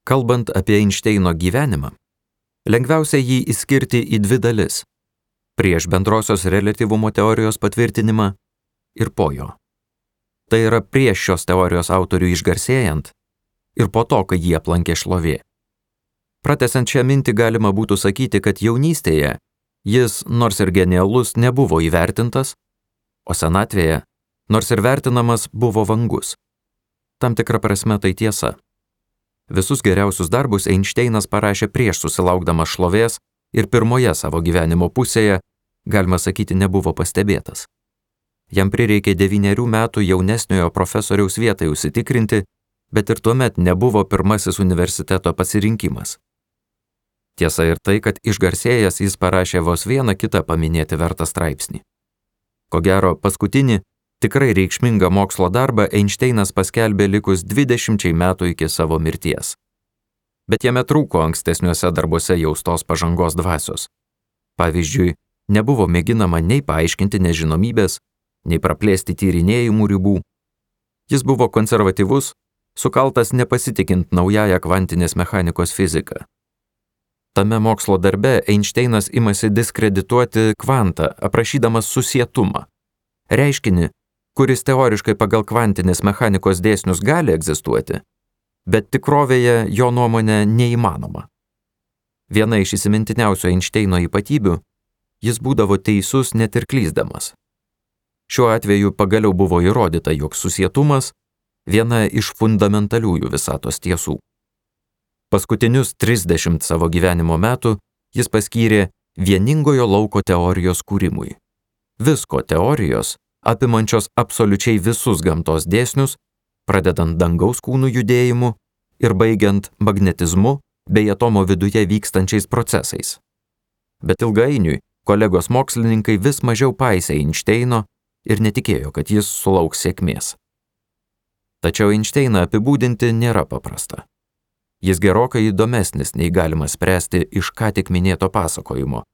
Kalbant apie Einšteino gyvenimą, lengviausia jį išskirti į dvi dalis – prieš bendrosios reliatyvumo teorijos patvirtinimą ir po jo. Tai yra prieš šios teorijos autorių išgarsėjant ir po to, kai jį aplankė šlovė. Pratęsiant šią mintį galima būtų sakyti, kad jaunystėje jis, nors ir genialus, nebuvo įvertintas, o senatvėje, nors ir vertinamas, buvo vangus. Tam tikra prasme tai tiesa. Visus geriausius darbus Einšteinas parašė prieš susilaukdamas šlovės ir pirmoje savo gyvenimo pusėje, galima sakyti, nebuvo pastebėtas. Jam prireikė 9 metų jaunesniojo profesoriaus vietai užsitikrinti, bet ir tuomet nebuvo pirmasis universiteto pasirinkimas. Tiesa ir tai, kad išgarsėjęs jis parašė vos vieną kitą paminėti vertą straipsnį. Ko gero, paskutinį, tikrai reikšmingą mokslo darbą Einšteinas paskelbė likus 20 metų iki savo mirties. Bet jame trūko ankstesniuose darbuose jaustos pažangos dvasios. Pavyzdžiui, nebuvo mėginama nei paaiškinti nežinomybės, nei praplėsti tyrinėjimų ribų. Jis buvo konservatyvus, sukaltas nepasitikint naująją kvantinės mechanikos fiziką. Tame mokslo darbe Einšteinas imasi diskredituoti kvantą, aprašydamas susietumą. Reiškinį, kuris teoriškai pagal kvantinės mechanikos dėsnius gali egzistuoti, bet tikrovėje jo nuomonė neįmanoma. Viena iš įsimintiniausių Einšteino ypatybių – jis būdavo teisus net ir klysdamas. Šiuo atveju pagaliau buvo įrodyta, jog susietumas – viena iš fundamentaliųjų visatos tiesų. Paskutinius 30 savo gyvenimo metų jis paskyrė vieningojo lauko teorijos kūrimui. Visko teorijos, apimančios absoliučiai visus gamtos dėsnius, pradedant dangaus kūnų judėjimu ir baigiant magnetizmu bei atomo viduje vykstančiais procesais. Bet ilgainiui kolegos mokslininkai vis mažiau paisė Einšteino ir netikėjo, kad jis sulauks sėkmės. Tačiau Einšteiną apibūdinti nėra paprasta. Jis gerokai įdomesnis, nei galima spręsti iš ką tik minėto pasakojimo,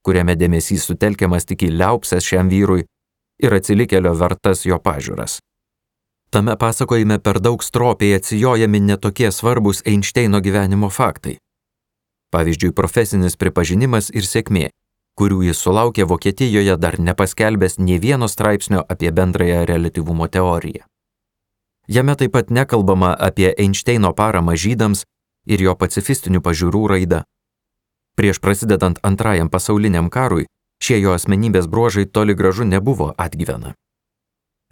kuriame dėmesys sutelkiamas tik į liaupses šiam vyrui ir atsilikėlio vertas jo pažiūras. Tame pasakojime per daug stropiai atsijojami netokie svarbus Einšteino gyvenimo faktai. Pavyzdžiui, profesinis pripažinimas ir sėkmė, kurių jis sulaukė Vokietijoje dar nepaskelbęs nė vieno straipsnio apie bendrąją reliatyvumo teoriją. Jame taip pat nekalbama apie Einšteino paramą žydams ir jo pacifistinių pažiūrų raidą. Prieš prasidedant Antrajam pasauliniam karui, šie jo asmenybės bruožai toli gražu nebuvo atgyvena.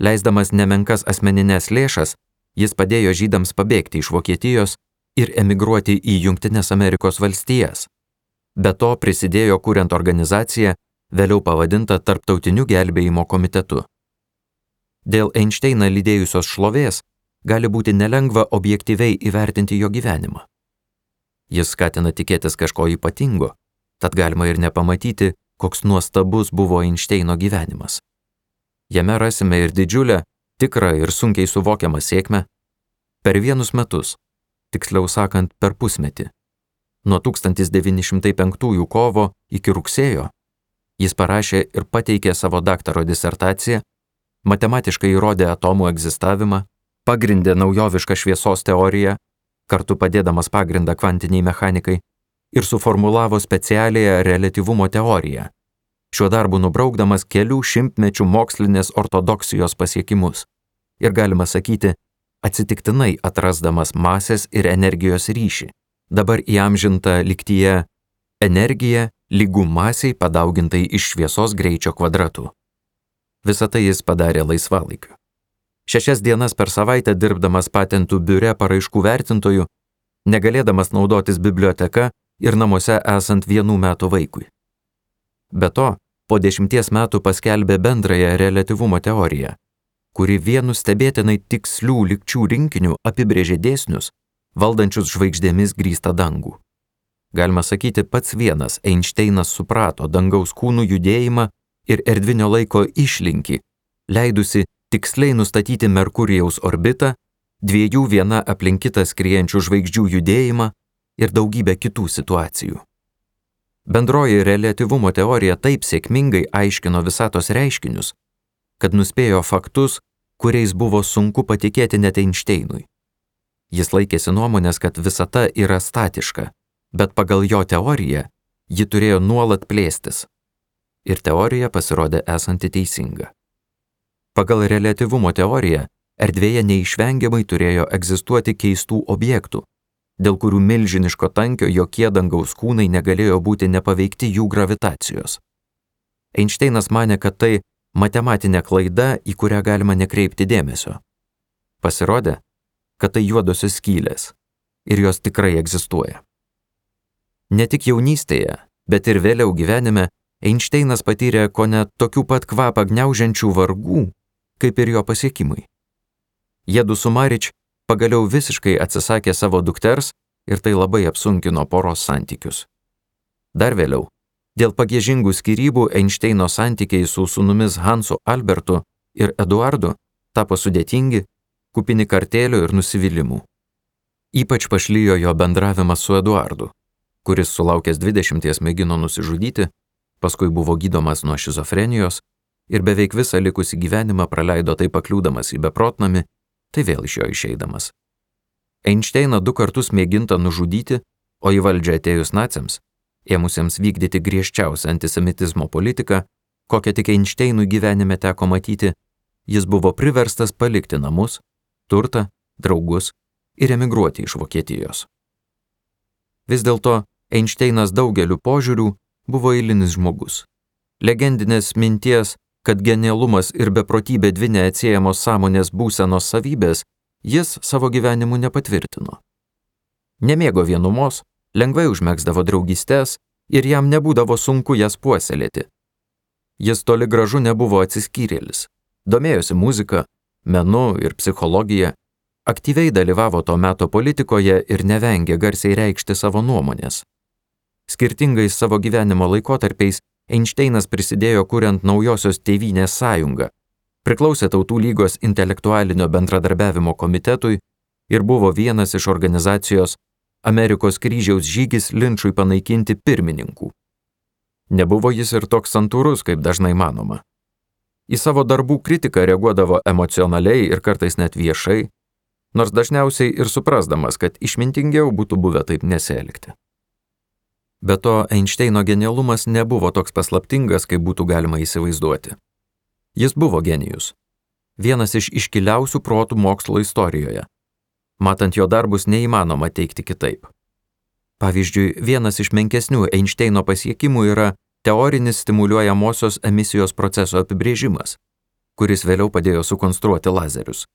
Leisdamas nemenkas asmeninės lėšas, jis padėjo žydams pabėgti iš Vokietijos ir emigruoti į Jungtines Amerikos valstijas. Be to prisidėjo kuriant organizaciją, vėliau pavadintą Tarptautiniu gelbėjimo komitetu. Dėl Einšteiną lydėjusios šlovės gali būti nelengva objektyviai įvertinti jo gyvenimą. Jis skatina tikėtis kažko ypatingo, tad galima ir nepamatyti, koks nuostabus buvo Einšteino gyvenimas. Jame rasime ir didžiulę, tikrą ir sunkiai suvokiamą sėkmę. Per 1 metus, tiksliau sakant per pusmetį, nuo 1905 kovo iki rugsėjo, jis parašė ir pateikė savo daktaro disertaciją, matematiškai įrodė atomų egzistavimą, pagrindė naujovišką šviesos teoriją, kartu padėdamas pagrindą kvantiniai mechanikai, ir suformulavo specialiąją reliatyvumo teoriją, šiuo darbu nubraukdamas kelių šimtmečių mokslinės ortodoksijos pasiekimus ir, galima sakyti, atsitiktinai atrasdamas masės ir energijos ryšį, dabar įamžintą lygtyje energija lygu masei padaugintai iš šviesos greičio kvadratų. Visą tai jis padarė laisvalaikiu. 6 dienas per savaitę dirbdamas patentų biure paraiškų vertintojų, negalėdamas naudotis biblioteka ir namuose esant 1 metų vaikui. Be to, po 10 metų paskelbė bendrąją reliatyvumo teoriją, kuri vienu stebėtinai tikslių lygčių rinkiniu apibrėžė dėsnius, valdančius žvaigždėmis grįstą dangų. Galima sakyti, pats vienas Einšteinas suprato dangaus kūnų judėjimą ir erdvinio laiko išlinkį, leidusi tiksliai nustatyti Merkurijaus orbitą, 2 viena aplink kitą skriejančių žvaigždžių judėjimą ir daugybę kitų situacijų. Bendroji reliatyvumo teorija taip sėkmingai aiškino visatos reiškinius, kad nuspėjo faktus, kuriais buvo sunku patikėti net Einšteinui. Jis laikėsi nuomonės, kad visata yra statiška, bet pagal jo teoriją ji turėjo nuolat plėstis. Ir teorija pasirodė esanti teisinga. Pagal reliatyvumo teoriją erdvėje neišvengiamai turėjo egzistuoti keistų objektų, dėl kurių milžiniško tankio jokie dangaus kūnai negalėjo būti nepaveikti jų gravitacijos. Einšteinas manė, kad tai matematinė klaida, į kurią galima nekreipti dėmesio. Pasirodė, kad tai juodosios skylės ir jos tikrai egzistuoja. Ne tik jaunystėje, bet ir vėliau gyvenime Einšteinas patyrė kone tokių pat kvapą gniaužiančių vargų, kaip ir jo pasiekimai. Jiedu su Marič pagaliau visiškai atsisakė savo dukters ir tai labai apsunkino poros santykius. Dar vėliau, dėl pagiežingų skyrybų Einšteino santykiai su sūnumis Hansu Albertu ir Eduardu tapo sudėtingi, kupini kartėlių ir nusivylimų. Ypač pašlijo jo bendravimas su Eduardu, kuris sulaukęs 20 mėgino nusižudyti, paskui buvo gydomas nuo šizofrenijos ir beveik visą likusį gyvenimą praleido tai pakliūdamas į beprotnamį, tai vėl iš jo išeidamas. Einšteiną 2 kartus mėginta nužudyti, o į valdžią atėjus naciams, ėmusiems vykdyti griežčiausią antisemitizmo politiką, kokią tik Einšteinui gyvenime teko matyti, jis buvo priverstas palikti namus, turtą, draugus ir emigruoti iš Vokietijos. Vis dėlto Einšteinas daugeliu požiūrių buvo eilinis žmogus. Legendinės minties, kad genialumas ir beprotybė 2 neatsiejamos sąmonės būsenos savybės, jis savo gyvenimu nepatvirtino. Nemėgo vienumos, lengvai užmegzdavo draugystes ir jam nebūdavo sunku jas puoselėti. Jis toli gražu nebuvo atsiskyrėlis, domėjosi muzika, menu ir psichologija, aktyviai dalyvavo to meto politikoje ir nevengė garsiai reikšti savo nuomonės. Skirtingais savo gyvenimo laikotarpiais Einšteinas prisidėjo kuriant naujosios Tėvynės sąjungą, priklausė Tautų lygos intelektualinio bendradarbiavimo komitetui ir buvo vienas iš organizacijos Amerikos kryžiaus žygis linčui panaikinti pirmininkų. Nebuvo jis ir toks santūrus, kaip dažnai manoma. Į savo darbų kritiką reaguodavo emocionaliai ir kartais net viešai, nors dažniausiai ir suprasdamas, kad išmintingiau būtų buvę taip nesielgti. Be to, Einšteino genialumas nebuvo toks paslaptingas, kaip būtų galima įsivaizduoti. Jis buvo genijus. Vienas iš iškiliausių protų mokslo istorijoje. Matant jo darbus neįmanoma teigti kitaip. Pavyzdžiui, vienas iš menkesnių Einšteino pasiekimų yra teorinis stimuliuojamosios emisijos proceso apibrėžimas, kuris vėliau padėjo sukonstruoti lazerius.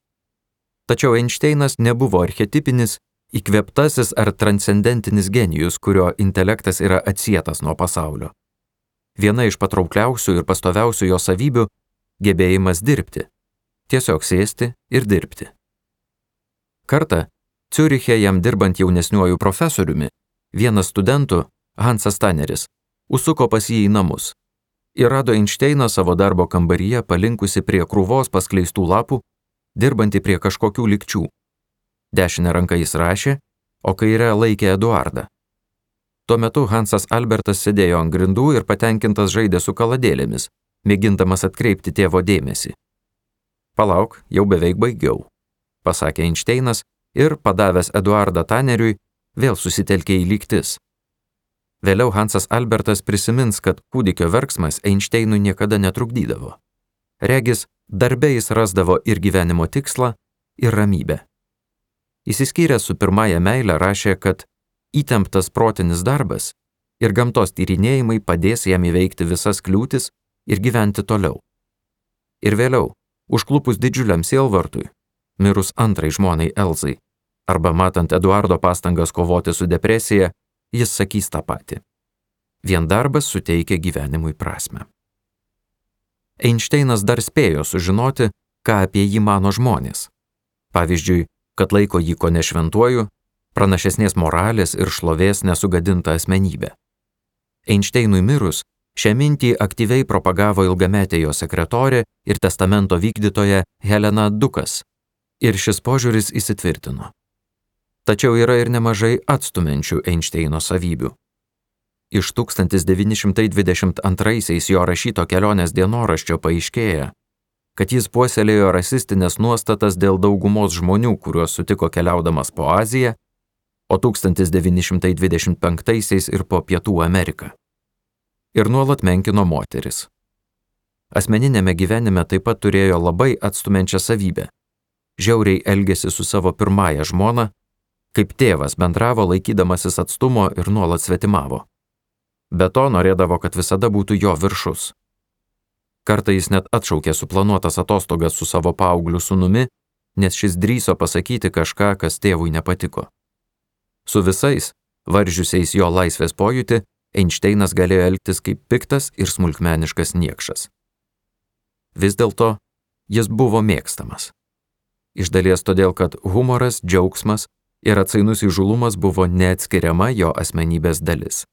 Tačiau Einšteinas nebuvo archetipinis, įkvėptasis ar transcendentinis genijus, kurio intelektas yra atsietas nuo pasaulio. Viena iš patraukliausių ir pastoviausių jo savybių – gebėjimas dirbti. Tiesiog sėsti ir dirbti. Kartą, Ciuriche jam dirbant jaunesniuoju profesoriumi, vienas studentų, Hansas Taneris, užsuko pas jį į namus ir rado Einšteiną savo darbo kambaryje palinkusi prie krūvos paskleistų lapų, dirbantį prie kažkokių lygčių. Dešinę ranką jis rašė, o kairę laikė Eduardą. Tuo metu Hansas Albertas sėdėjo ant grindų ir patenkintas žaidė su kaladėlėmis, mėgindamas atkreipti tėvo dėmesį. Palauk, jau beveik baigiau, pasakė Einšteinas ir, padavęs Eduardą Taneriui, vėl susitelkė į lygtis. Vėliau Hansas Albertas prisimins, kad kūdikio verksmas Einšteinui niekada netrukdydavo. Regis, darbe jis rasdavo ir gyvenimo tikslą, ir ramybę. Įsiskyręs su pirmąja meile rašė, kad įtemptas protinis darbas ir gamtos tyrinėjimai padės jam įveikti visas kliūtis ir gyventi toliau. Ir vėliau, užklupus didžiuliam sielvartui, mirus antrai žmonai Elzai, arba matant Eduardo pastangas kovoti su depresija, jis sakys tą patį. Vien darbas suteikia gyvenimui prasmę. Einšteinas dar spėjo sužinoti, ką apie jį mano žmonės. Pavyzdžiui, kad laiko jį kone šventuoju, pranašesnės moralės ir šlovės nesugadinta asmenybė. Einšteinui mirus, šią mintį aktyviai propagavo ilgametė jo sekretorė ir testamento vykdytoja Helena Dukas, ir šis požiūris įsitvirtino. Tačiau yra ir nemažai atstumiančių Einšteino savybių. Iš 1922 jo rašyto kelionės dienoraščio paaiškėja, kad jis puoselėjo rasistinės nuostatas dėl daugumos žmonių, kuriuos sutiko keliaudamas po Aziją, o 1925 ir po Pietų Ameriką. Ir nuolat menkino moteris. Asmeninėme gyvenime taip pat turėjo labai atstumiančią savybę. Žiauriai elgėsi su savo pirmąja žmona, kaip tėvas bendravo laikydamasis atstumo ir nuolat svetimavo. Be to norėdavo, kad visada būtų jo viršus. Kartą jis net atšaukė suplanuotas atostogas su savo paaugliu sūnumi, nes šis drįso pasakyti kažką, kas tėvui nepatiko. Su visais, varžiusiais jo laisvės pojūtį, Einšteinas galėjo elgtis kaip piktas ir smulkmeniškas niekšas. Vis dėlto, jis buvo mėgstamas. Iš dalies todėl, kad humoras, džiaugsmas ir atsainus įžūlumas buvo neatskiriama jo asmenybės dalis.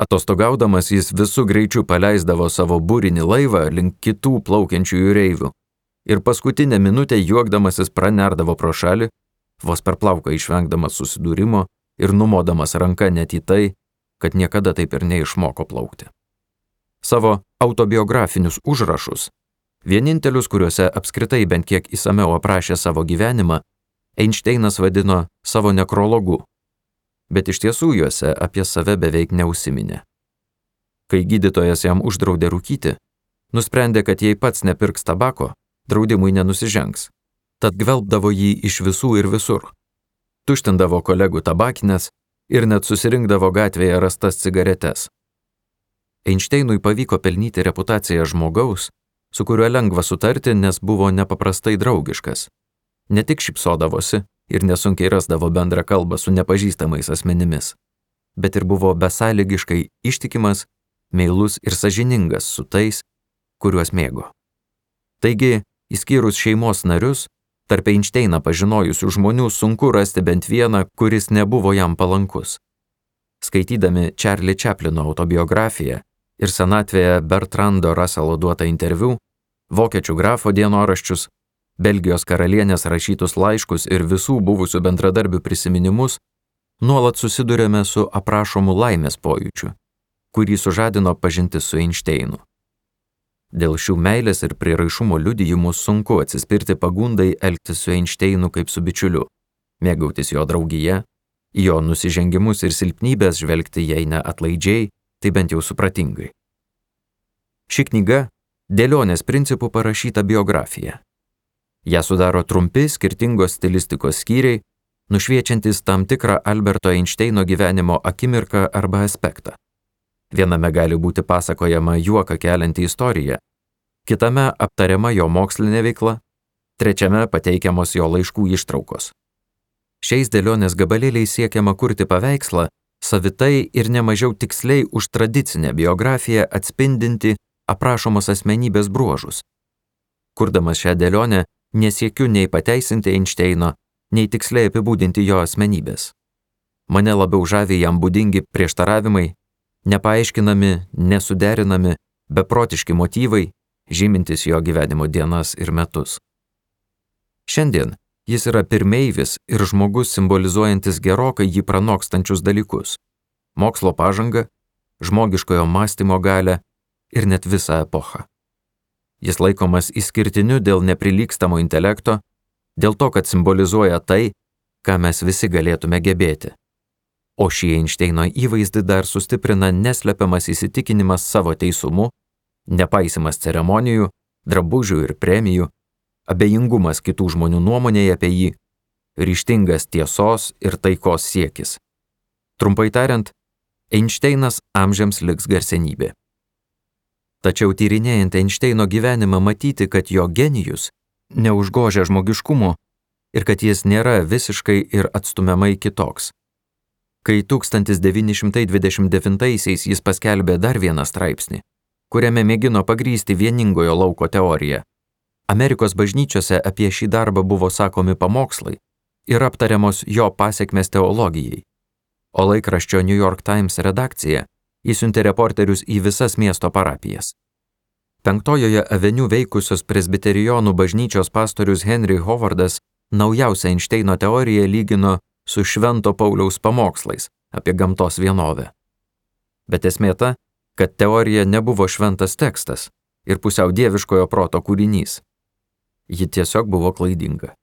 Atostogaudamas jis visų greičių paleisdavo savo būrinį laivą link kitų plaukiančių jūreivių ir paskutinę minutę juokdamasis pranerdavo pro šalį, vos per plauką išvengdamas susidūrimo ir numodamas ranką net į tai, kad niekada taip ir neišmoko plaukti. Savo autobiografinius užrašus, vienintelius, kuriuose apskritai bent kiek įsamiau aprašė savo gyvenimą, Einšteinas vadino savo nekrologu, bet iš tiesų juose apie save beveik neužsiminė. Kai gydytojas jam uždraudė rūkyti, nusprendė, kad jei pats nepirks tabako, draudimui nenusižengs, tad gvelbdavo jį iš visų ir visur. Tuštindavo kolegų tabakinės ir net susirinkdavo gatvėje rastas cigaretes. Einšteinui pavyko pelnyti reputaciją žmogaus, su kuriuo lengva sutarti, nes buvo nepaprastai draugiškas. Ne tik šypsodavosi ir nesunkiai rasdavo bendrą kalbą su nepažįstamais asmenimis, bet ir buvo besąlygiškai ištikimas, meilus ir sąžiningas su tais, kuriuos mėgo. Taigi, išskyrus šeimos narius, tarp Einšteiną pažinojusių žmonių sunku rasti bent vieną, kuris nebuvo jam palankus. Skaitydami Charlie Chaplino autobiografiją ir senatvėje Bertrando Russello duotą interviu, vokiečių grafo dienoraščius, Belgijos karalienės rašytus laiškus ir visų buvusių bendradarbių prisiminimus, nuolat susidurėme su aprašomu laimės pojūčiu, kurį sužadino pažintis su Einšteinu. Dėl šių meilės ir prieraišumo liudijimų sunku atsispirti pagundai elgtis su Einšteinu kaip su bičiuliu, mėgautis jo draugija, į jo nusižengimus ir silpnybės žvelgti jei ne atlaidžiai, tai bent jau supratingai. Ši knyga dėlionės principų parašyta biografija. Ją sudaro trumpi skirtingos stilistikos skyriai, nušviečiantis tam tikrą Alberto Einšteino gyvenimo akimirką arba aspektą. Viename gali būti pasakojama juoką kelianti istorija, kitame aptariama jo mokslinė veikla, trečiame pateikiamos jo laiškų ištraukos. Šiais dėlionės gabalėliais siekiama kurti paveikslą, savitai ir nemažiau tiksliai už tradicinę biografiją atspindinti aprašomos asmenybės bruožus. Kurdamas šią dėlionę, nesiekiu nei pateisinti Einšteino, nei tiksliai apibūdinti jo asmenybės. Mane labiau žavi jam būdingi prieštaravimai, nepaaiškinami, nesuderinami, beprotiški motyvai, žymintis jo gyvenimo dienas ir metus. Šiandien jis yra pirmeivis ir žmogus simbolizuojantis gerokai jį pranokstančius dalykus – mokslo pažangą, žmogiškojo mąstymo galią ir net visą epochą. Jis laikomas išskirtiniu dėl neprilygstamo intelekto, dėl to, kad simbolizuoja tai, ką mes visi galėtume gebėti. O šį Einšteino įvaizdį dar sustiprina neslepiamas įsitikinimas savo teisumu, nepaisimas ceremonijų, drabužių ir premijų, abejingumas kitų žmonių nuomonėje apie jį, ryžtingas tiesos ir taikos siekis. Trumpai tariant, Einšteinas amžiams liks garsenybė. Tačiau tyrinėjant Einšteino gyvenimą matyti, kad jo genijus neužgožia žmogiškumo ir kad jis nėra visiškai ir atstumiamai kitoks. Kai 1929 jis paskelbė dar vieną straipsnį, kuriame mėgino pagrįsti vieningojo lauko teoriją, Amerikos bažnyčiose apie šį darbą buvo sakomi pamokslai ir aptariamos jo pasekmės teologijai, o laikraščio New York Times redakcija įsiuntė reporterius į visas miesto parapijas. 5-ojoje aveniu veikusios presbiterijonų bažnyčios pastorius Henry Howardas naujausią Einšteino teoriją lygino su Švento Pauliaus pamokslais apie gamtos vienovę. Bet esmė ta, kad teorija nebuvo šventas tekstas ir pusiau dieviškojo proto kūrinys, Ji tiesiog buvo klaidinga.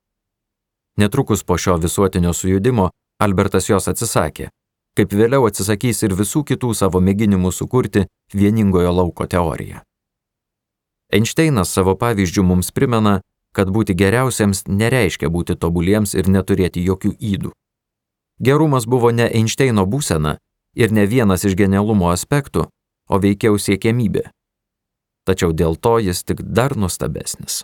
Netrukus po šio visuotinio sujudimo Albertas jos atsisakė, kaip vėliau atsisakys ir visų kitų savo mėginimų sukurti vieningojo lauko teoriją. Einšteinas savo pavyzdžių mums primena, kad būti geriausiems nereiškia būti tobuliems ir neturėti jokių ydų. Gerumas buvo ne Einšteino būsena ir ne vienas iš genialumo aspektų, o veikiau siekiamybė. Tačiau dėl to jis tik dar nuostabesnis.